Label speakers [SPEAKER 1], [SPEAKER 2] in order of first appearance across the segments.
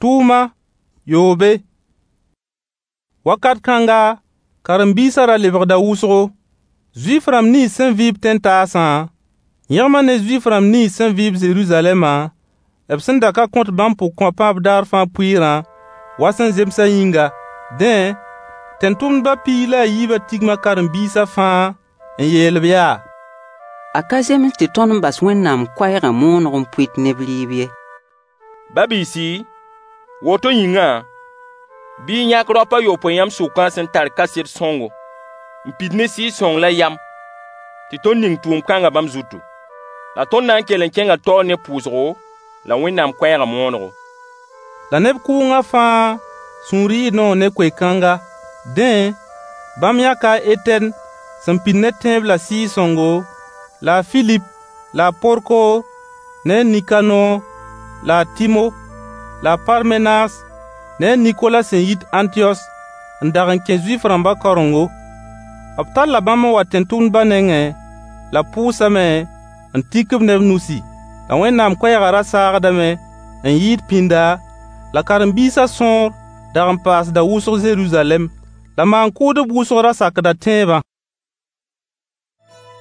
[SPEAKER 1] Tʋʋma yoobe. Wakat kãnga, karen-biisã ra lebgda wʋsgo. Zuif-rãmb nins sẽn vɩ-b tẽn-taasã yẽgma ne Zuif-rãmb nins sẽn vɩ-b Zeruzalɛmã, b sẽn da ka kõt bãmb pʋgkõapã b daar fãa pʋɩɩrã wa sẽn zemsã yĩnga. Dẽ, tẽn-tʋmdbã 12 tigma karen-biisã fãa n yeel-b yaa:
[SPEAKER 2] A ka zems tɩ tõnd n bas Wẽnnaam koɛɛgã mooneg n pʋɩt neb rɩɩb ye.
[SPEAKER 3] Ba-biisi, woto yĩngã, bɩ y yãk raop a yopoe yãmb sʋkã sẽn tar kaset sõngo n pid ne Sɩɩg-sõng la yam tɩ tõnd ning tʋʋm-kãngã bãmb zutu. La tõnd na n kell n kẽnga taoor ne pʋʋsgo la Wẽnnaam koɛɛgã moonego.
[SPEAKER 1] La neb kʋʋngã fãa sũur yɩɩ noog ne koe-kãnga. Dẽ, bãmb yãka a Etɛn sẽn pid ne tẽeb la Sɩɩg-sõngo, la a Filip, la a Porkor ne a Nikanor, la a Tɩmo, la a Parmenas ne a Nikola sẽn yit Ãntiyos n dag n kẽ Zuif-rãmbã karengo. B talla bãmb n wa tẽn-tʋmdbã nengẽ, la b pʋʋsame n tik-b ne b nusi. La Wẽnnaam koɛɛgã ra saagdame n yɩɩd pĩnda, la karen-biisã sõor dag n paasda wʋsg Zeruzalɛm. La maan-kʋʋdb wʋsg ra sakda tẽebã.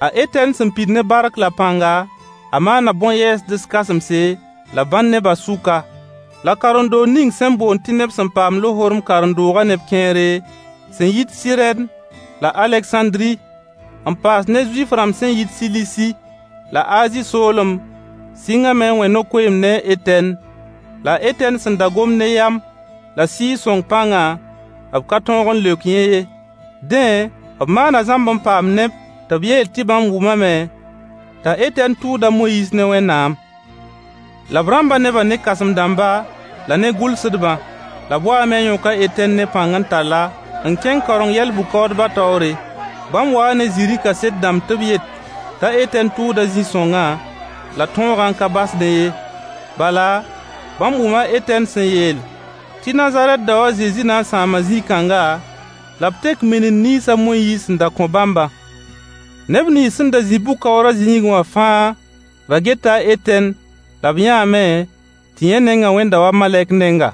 [SPEAKER 1] A Etɛn sẽn pid ne bark la pãnga, a maana bõn-yɛɛsds kãsemse la bãn nebã sʋka. La karen-doog ning sẽn boond tɩ neb sẽn paam lohorem karen-doogã neb kẽere, sẽn yit Sirɛn la Alegsãndri, n paas ne Zuif-rãmb sẽn yit Silisi la Azi soolem sɩngame n wẽ no-koeemd ne a Etɛn. La a Etɛn sẽn da gomd ne yam la Sɩɩg-sõng pãngã, b ka tõog n leok yẽ ye. Dẽ, b maana zãmb n paam neb tɩ b yeel tɩ bãmb wʋmame t'a Etɛn tʋʋd a Moyiis ne Wẽnnaam. La b rãmba nebã ne kãsem-dãmba la ne gʋlsdbã. La b waame n yõk a Etɛn ne pãng n tall-a n kẽng kaoreng yɛl-bʋ-kaoodbã taoore. Bãmb waa ne zĩri kaset dãmb tɩ b yet t'a Etɛn tʋʋda zĩ-sõngã la tõogã n ka basdẽ ye. Bala, bãmb wʋma a Etɛn sẽn yeel tɩ Nazarɛt dao a Zezi na n sãama zĩ-kãnga, la b tek minim nins a Moyiis sẽn da kõ bãmbã. Neb nins sẽn da zĩ bʋ-kaoorã zĩigẽ wã fãa ra geta a Etɛn la b yãame tɩ yẽ nengã wẽnda wa malɛk nenga.